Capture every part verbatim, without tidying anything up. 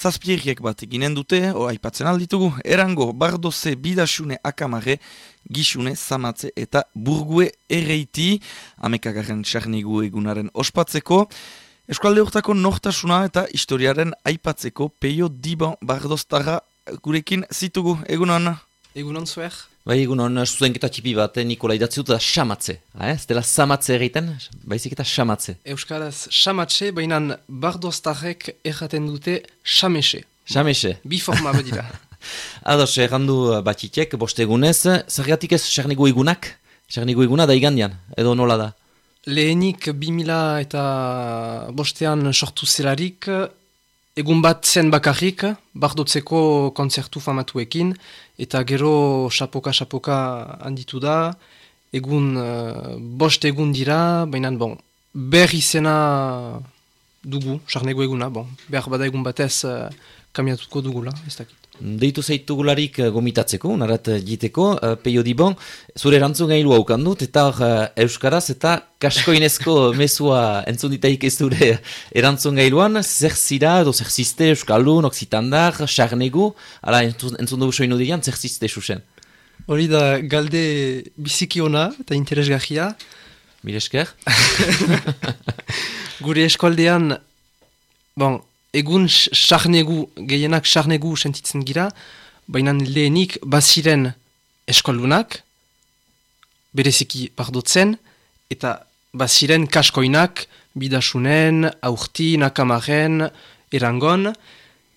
zazpieriek bat eginen dute, o aipatzen alditugu, Erango, Bardoze, Bidasune, Akamare, Gixune, Zamatze eta Burgue erreiti, amekagarren sarnigu egunaren ospatzeko, eskualde hortako nortasuna eta historiaren aipatzeko Peio Diban Bardoztarra gurekin zitugu, egunon? Egunon zuer? Bai, egunon, zuzenketa txipi bat, Nikola idatzi dut, da Xamatze. Eh? Ez dela Zamatze egiten, baizik eta Xamatze. Euskaraz Xamatze, baina Bardoztarrek erraten dute Xamexe. Xamexe. Bi forma badira. Ados, errandu batxitek, boste egunez, zergatik ez sarnigu egunak? Sarnigu eguna da igandian, edo nola da? Lehenik bi mila eta bostean sortu zelarik, egun bat zen bakarrik, Bardotzeko kontzertu famatuekin, eta gero xapoka-xapoka handitu da, egun uh, bost egun dira, baina bon, behar izena dugu, sarnego eguna, bon, behar bada egun batez uh, kamiatuko dugula, ez dakit. Deitu zaitugularik gomitatzeko, narat jiteko, uh, Peio Diban, zure erantzun gailu haukan dut, eta uh, Euskaraz eta kaskoinezko mesua entzun ditaik ez zure erantzun gailuan, zer zira, edo zer ziste Euskaldun, Oksitandar, Sarnegu, ala entzun, entzun dugu soinu dian, zer ziste susen? Hori da galde biziki ona eta interesgarria. Mire esker? Gure eskualdean, bon, egun sarnegu, gehienak sarnegu sentitzen gira, baina lehenik baziren eskoldunak, bereziki Bardotzen, eta baziren kaskoinak, Bidasunen, Aurtin, Akamaren, Erangon,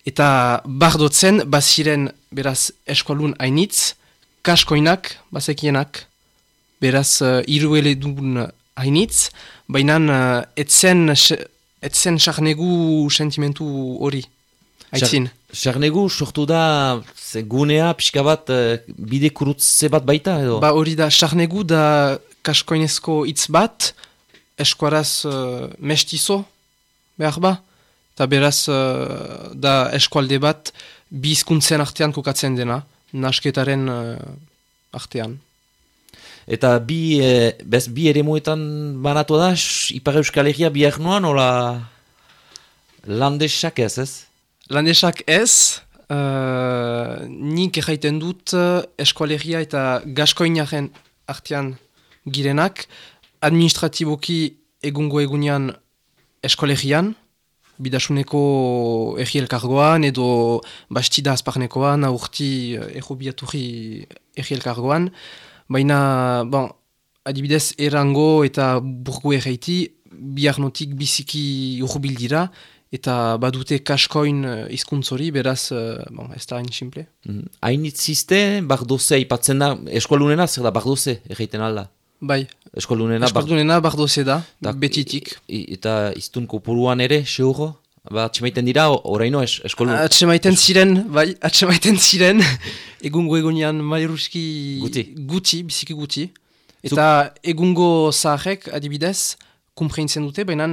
eta Bardotzen baziren beraz eskoldun hainitz, kaskoinak bazekienak, beraz uh, irueledun hainitz, baina uh, etzen... Etzen sarnegu sentimentu hori, aitzin. Sarnegu sortu da ze gunea pixka bat bide kurutze bat baita edo? Ba hori da, sarnegu da kaskoinezko hitz bat, eskuaraz uh, mestizo, behar ba, eta beraz uh, da eskualde bat bi hizkuntzen artean kokatzen dena, nasketaren uh, artean. Eta bi, e, bez, bi ere muetan banatu da, Ipar Euskal Herria bihar noan, ola landesak ez ez? Landesak ez, uh, nik erraiten dut Euskal Herria eta Gaskoinaren artean girenak, administratiboki egungo egunean Euskal Herrian, Bidasuneko erri elkargoan, edo Bastida Azparnekoan, Aurti errobiaturi erri elkargoan, baina, bon, adibidez, Erango eta Burgu erreiti, biharnotik biziki urbil dira, eta badute kaskoin hizkuntzori, beraz, bon, ez da hain simple. Hainitz ziste, Bardoze ipatzen da, eskualunena zer da, Bardoze erreiten alda? Bai, eskualunena, eskualunena Bardoze da, da betitik. Eta iztun kopuruan ere, seuro? Ba, atxemaiten dira, oraino es, eskolun... Atxemaiten ziren, bai, atxemaiten ziren, egungo egunean mairuski guti, guti biziki guti. Eta Zup... egungo zaharek, adibidez, kumpreintzen dute, baina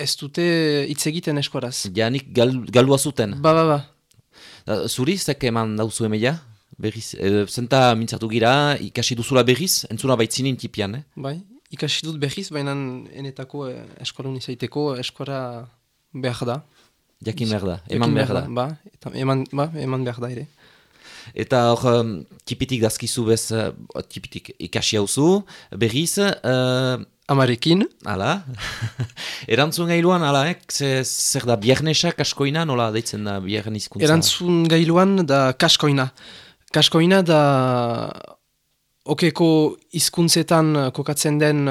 ez dute hitz egiten eskuaraz. Janik gal, galua zuten. Ba, ba, ba. Da, zuri, zek eman dauzu emeia? Berriz, e, zenta mintzatu gira, ikasi duzula berriz, entzuna baitzinin tipian, eh? Bai, ikasi dut berriz, baina enetako eh, eskualun izaiteko eskuara... Behar da. Jakin behar da, eman behar da. Ba, eta eman, ba, eman behar da ere. Eta hor, um, tipitik dazkizu bez, uh, tipitik ikasi hauzu, berriz... Uh, Amarekin. Hala. Erantzun gailuan, hala, eh? Zer da, biarnesak kaskoina, nola deitzen da biarren hizkuntza? Erantzun gailuan da kaskoina. Kaskoina da okeko hizkuntzetan kokatzen den...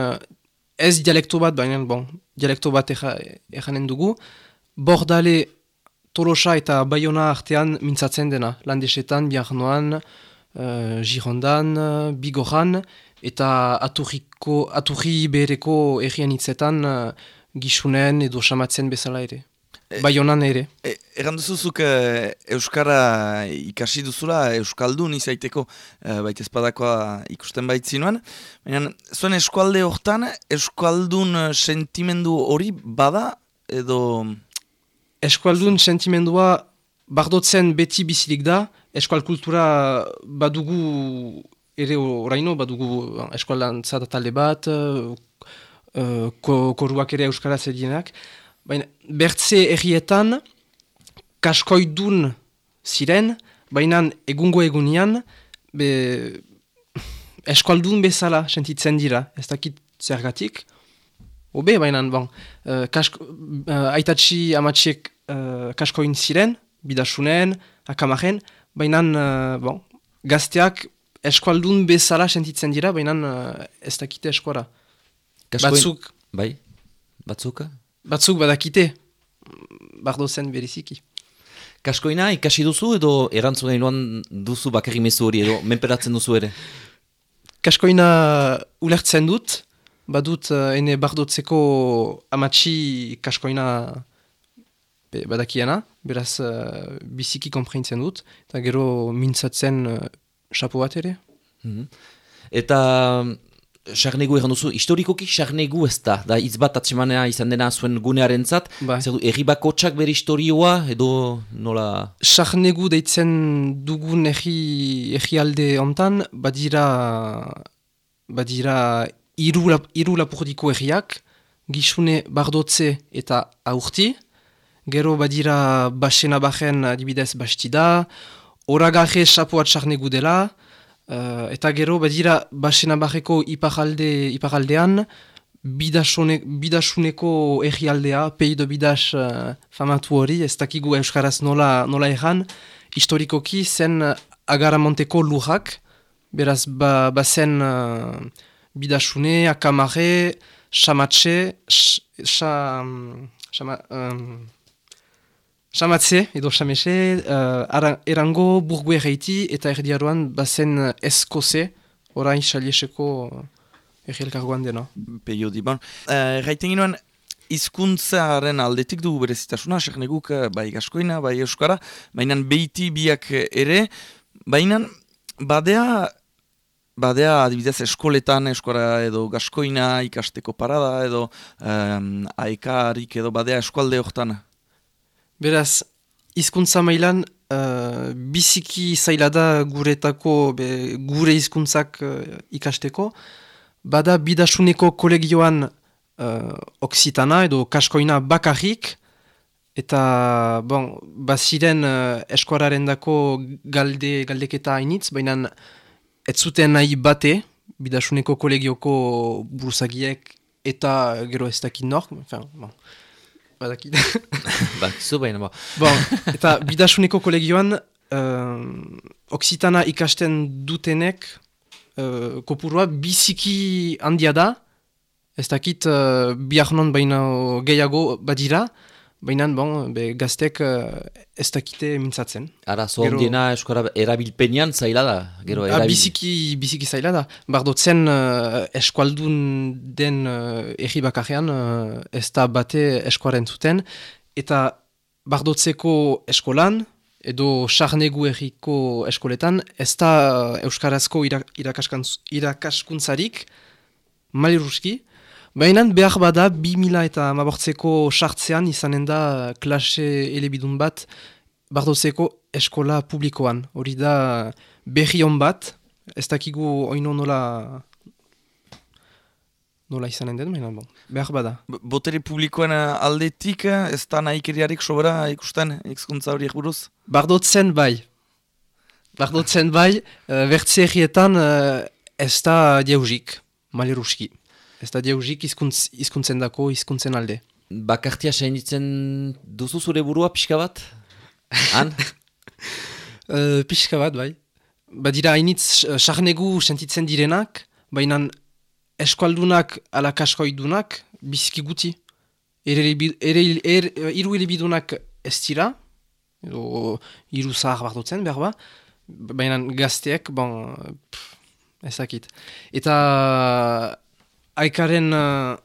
Ez dialekto bat, baina, bon, dialekto bat eranen dugu. Bordale, Tolosa eta Bayona artean mintzatzen dena. Landesetan, Biarnoan, uh, Girondan, Bigoran, eta aturriko, aturri behereko errian hitzetan uh, Gixunen edo Xamatzen bezala ere. Baionan ere. E, Eran duzuzuk e, Euskara ikasi duzula, Euskaldun izaiteko e, baita espadakoa ikusten baitzinuan. Baina zuen eskualde hortan, Euskaldun sentimendu hori bada edo... Eskualdun sentimendua Bardotzen beti bizilik da, eskual kultura badugu ere oraino, badugu eskualan zata talde bat, uh, ko, koruak ere Euskaraz edienak. Baina, bertze errietan, kaskoidun ziren, baina egungo egunian, be, eskualdun bezala sentitzen dira, ez dakit zergatik. Obe, baina, bon, uh, kasko, uh, aitatxi amatxiek uh, kaskoin ziren, bidasunen, akamaren, baina, uh, bon, gazteak eskualdun bezala sentitzen dira, baina uh, ez dakite eskora. Kaskoin... Batzuk, Bai? Batzuk? batzuk badakite, bardo zen beriziki. Kaskoina ikasi duzu edo erantzun gailuan duzu bakarri mezu hori edo menperatzen duzu ere? Kaskoina ulertzen dut, badut uh, ene bardotzeko amatxi kaskoina be, badakiena, beraz uh, biziki konpreintzen dut, eta gero mintzatzen uh, xapo bat ere. Mm-hmm. Eta sarnegu egan duzu, historikoki sarnegu ez da, da hitz bat atsemanea izan dena zuen gunearen zat, Bai. zer du, erri bakotsak bere historioa edo nola... Sarnegu deitzen dugun erri, erri alde ontan, badira, badira iru, lap, iru lapurdiko erriak, Gixune, Bardotze eta Aurti, gero badira Basena Bajen adibidez Bastida, Oragarre Sapoat sarnegu dela, Uh, eta gero badira Basena Bajeko iparalde, iparaldean bidasune, bidasuneko errialdea, peido bidas uh, famatu hori, ez dakigu euskaraz nola, nola erran, historikoki zen Agaramonteko lurrak, beraz ba, bazen uh, bidasune, akamare, samatxe, Samatze, edo Samexe, uh, erango burgue erreiti eta erdiaroan bazen eskoze, orain xalieseko errielkargoan dena. Peio diban. Erraiten ginoen, hizkuntzaren aldetik dugu berezitasuna, sarneguk bai gaskoina, bai euskara, baina beiti biak ere, baina badea, badea adibidez eskoletan euskara edo gaskoina ikasteko parada edo um, aekarik edo badea eskualde hortan. Beraz, hizkuntza mailan uh, biziki zaila da guretako, be, gure hizkuntzak uh, ikasteko. Bada bidasuneko kolegioan uh, oksitana edo kaskoina bakarrik, eta bon, baziren uh, eskuararen dako galde, galdeketa hainitz, baina ez zuten nahi bate bidasuneko kolegioko buruzagiek eta gero ez dakit nor, enfin, bon. Badakit. Bakizu baina ba. Bon, eta bidasuneko kolegioan uh, oksitana ikasten dutenek uh, kopurua biziki handia da, ez dakit uh, biharnon baina gehiago badira, baina bon, be, gaztek uh, ez dakite mintzatzen. Ara, zohandiena gero... eskora erabilpenean zaila da? Gero, erabil... biziki, biziki zaila da. Bardotzen uh, eskualdun den uh, erri bakarrean uh, ez da bate eskuaren zuten, eta bardotzeko eskolan, edo sarnegu erriko eskoletan, ez da uh, euskarazko irak, irakaskuntzarik, maliruski, baina behar bada bi mila eta mabortzeko sartzean izanen da klase elebidun bat bardotzeko eskola publikoan. Hori da berri hon bat, ez dakigu oino nola, nola izanen den, baina bon, behar bada. Botere publikoen aldetik ez da nahikeriarik sobera ikusten hizkuntza horiek buruz? Bardotzen bai. Bardotzen bai, uh, bertze herrietan uh, ez da diausik, maleruski. Ez da diausik izkuntz, izkuntzen dako, izkuntzen alde. Bakartia sainitzen duzu zure burua pixka bat? Han? uh, pixka bat, bai. Badira hainitz sarnegu sentitzen direnak, baina eskualdunak ala kaskoidunak biziki guti. Iru elebidunak ez dira, edo iru zahar bardotzen, behar ba, baina gazteek, bon, pff, ezakit. Eta... Aikaren, uh,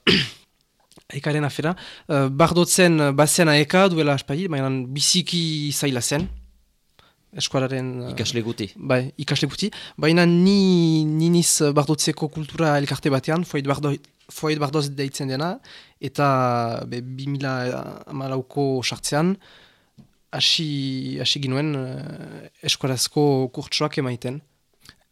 aikaren afera, uh, bardotzen bazen aeka duela aspari, baina biziki zaila zen. Eskualaren... Uh, ikasle guti. Bai, ikasle guti. Baina ni niniz bardotzeko kultura elkarte batean, foit, bardo, foit bardoz deitzen dena, eta be, bi mila hamalauko sartzean, hasi ginuen uh, eskualazko kurtsoak emaiten.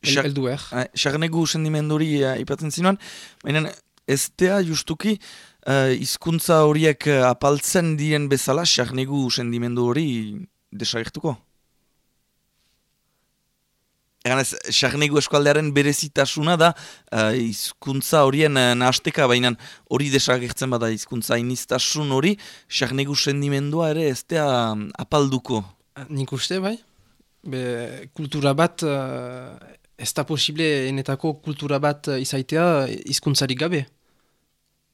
Eldu er. Sarnegu sendimenduri uh, ipatzen zinuan, baina ez tea justuki hizkuntza uh, horiek uh, apaltzen diren bezala, sarnegu sendimendu hori desagertuko? Egan ez, Sarnegu eskualdearen berezitasuna da uh, hizkuntza horien uh, nahasteka, baina hori desagertzen bada hizkuntza iniztasun hori, Sarnegu sendimendua ere ez da um, apalduko. Nik uste, bai. Be, kultura bat, uh, ez da posible enetako kultura bat uh, izaitea hizkuntzarik gabe.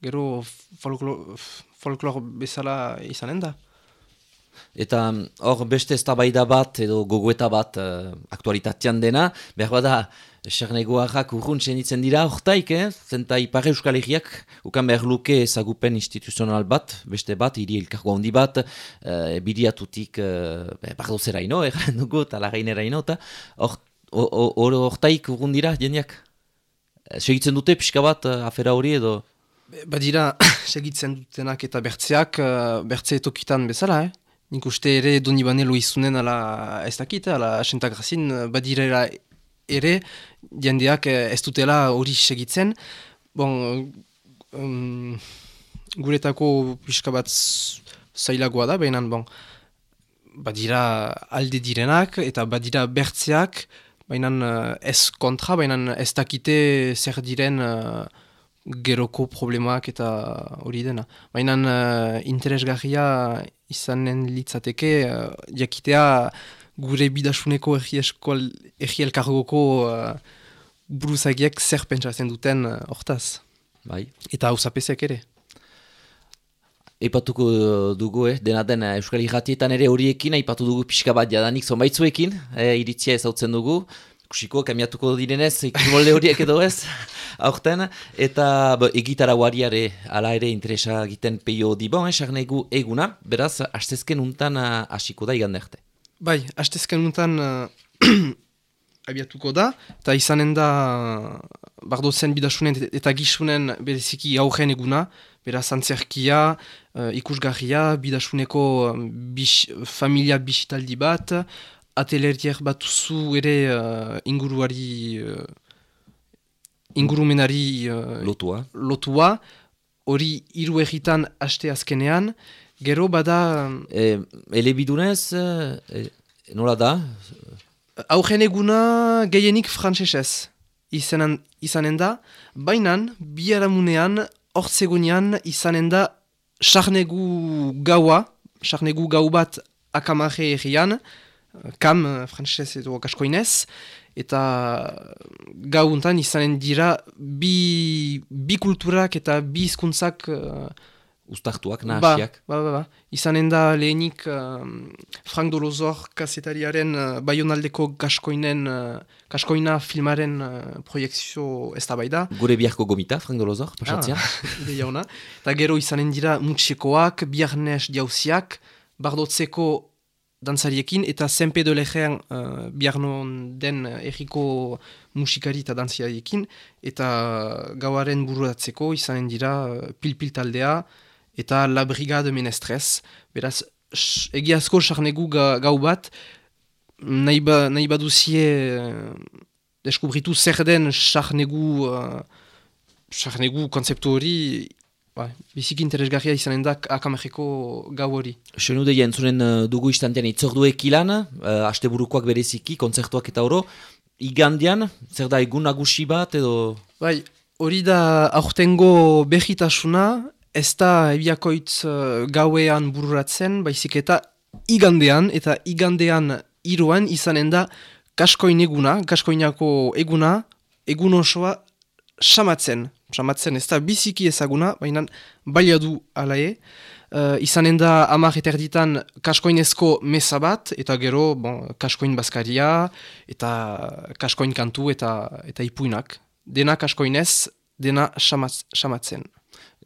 Gero folklor, folklor bezala izanen da. Eta hor beste eztabaida bat edo gogoeta bat uh, aktualitatean dena, behar bada Sarnegoarrak urrun senditzen dira hortaik, eh? Zenta Ipar Euskal Herriak ukan behar luke ezagupen instituzional bat, beste bat, hiri elkargo handi bat, uh, biriatutik uh, bardozeraino, erran dugu, eta lagaineraino, eta hortaik urrun dira jendeak. Segitzen dute pixka bat uh, afera hori edo? Badira, segitzen dutenak eta bertzeak, uh, bertze tokitan bezala, eh? Nik uste ere doni banelo izunen ala ez dakit, ala asentagrazin, badirera ere, jendeak ez dutela hori segitzen. Bon, um, guretako pixka bat zailagoa da, behinan, bon, badira alde direnak eta badira bertzeak, behinan ez kontra, behinan ez dakite zer diren uh, geroko problemak eta hori dena. Baina uh, interesgarria izanen litzateke, uh, jakitea gure bidasuneko erri elkargoko uh, buruzagiek zer pentsatzen duten uh, hortaz. Bai. Eta hausapezek ere. Eipatuko dugu, eh? Dena den Euskal Irratietan ere horiekin, aipatu dugu pixka bat jadanik zonbaitzuekin, eh, iritzia ezautzen dugu. Kusiko, kamiatuko direnez, ikimolde horiek edo ez, aurten, eta bo, egitara guariare ala ere interesa egiten peio dibon, eh, Sarnegu eguna, beraz, hastezken untan uh, hasiko da igande arte. Bai, hastezken untan uh, abiatuko da, eta izanen da uh, bardozen bidasunen eta gisunen bereziki aurren eguna, beraz, antzerkia, uh, ikusgarria, bidasuneko um, bis, familia bisitaldi bat, atelerier bat zu ere uh, inguruari, uh, ingurumenari uh, lotua. lotua, hori hiru egitan haste azkenean, gero bada... E, elebidunez, e, nola da? Aurren eguna gehienik frantsesez izanen, izanen da, bainan, biharamunean, hortzegunean izanen da Sarnegu gaua, Sarnegu gau bat akamare errian, kam, frantsesez edo kaskoinez, eta gauntan izanen dira bi, bi kulturak eta bi hizkuntzak uh, ustartuak, nahasiak. Ba, ba, ba, ba. Izanen da lehenik uh, Frank Dolozor kazetariaren uh, Baionaldeko kaskoinen, uh, kaskoina filmaren uh, proiektzio ez da bai da. Gure biharko gomita, Frank Dolozor, pasatzea. Ah, ideia ona. Eta gero izanen dira mutxekoak, biharnez jauziak, bardotzeko dantzariekin, eta Senpe de Lejean uh, biharnon den uh, erriko musikari eta dantziariekin, eta gauaren bururatzeko izanen dira uh, pil-pil taldea, eta La Brigade Menestrez. Beraz, egiazko Sarnegu ga, gau bat, nahi, ba, nahi baduzie uh, deskubritu zer den Sarnegu, uh, Sarnegu konzeptu hori, ba, biziki interesgarria izanen da akamarreko gau hori. Senu deia entzunen uh, dugu istantean itzorduek ilan, uh, asteburukoak bereziki, kontzertuak eta oro, igandian, zer da egun nagusi bat edo... Bai, hori da aurtengo behitasuna, ez da ebiakoitz uh, gauean bururatzen, baizik eta igandean, eta igandean iruan izanen da kaskoin eguna, kaskoinako eguna, egun osoa samatzen. Samatzen ez da biziki ezaguna, baina baliadu alae. Uh, izanen da hamar eta erditan kaskoinezko mesa bat, eta gero bon, kaskoin bazkaria, eta kaskoin kantu eta, eta ipuinak. Dena kaskoinez, dena samatz, samatzen.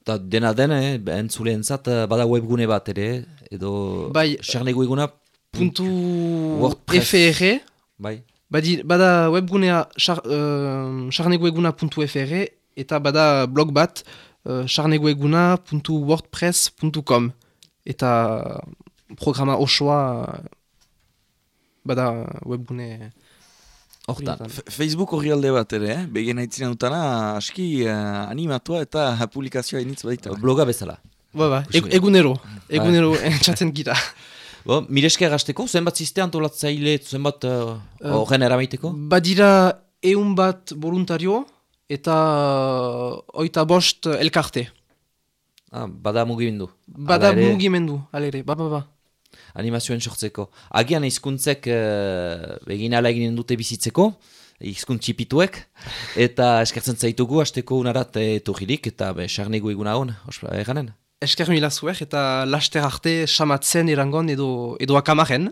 Eta dena den, eh, entzuleentzat bada webgune bat ere, edo bai, Sarnegu eguna... Puntu WordPress. fr, bai. Badi, bada webgunea sarnegueguna puntu fr, eta bada blog bat uh, sarnegueguna puntu wordpress puntu com, eta programa osoa bada webgune hortan. Facebook horri alde bat ere, eh? Begen haitzina dutana aski uh, animatua eta publikazioa initz baita. Bloga bezala. Ba, ba, e egunero, egunero entzatzen gira. Bo, miresker gazteko, zenbat ziste antolatzaile, zenbat horren uh, eramaiteko? Badira eun bat voluntario eta uh, oita bost elkarte. Ah, bada mugimendu. Bada mugimendu, alere, ba, ba, ba. Animazioen sortzeko. Agian hizkuntzek uh, egin ala eginen dute bizitzeko, hizkuntz txipituek, eta eskertzen zaitugu, hasteko unarat etorririk, eta sarnegu eguna hon, eganen? Esker mila zuek, eta laster arte samatzen irangon edo, edo akamaren.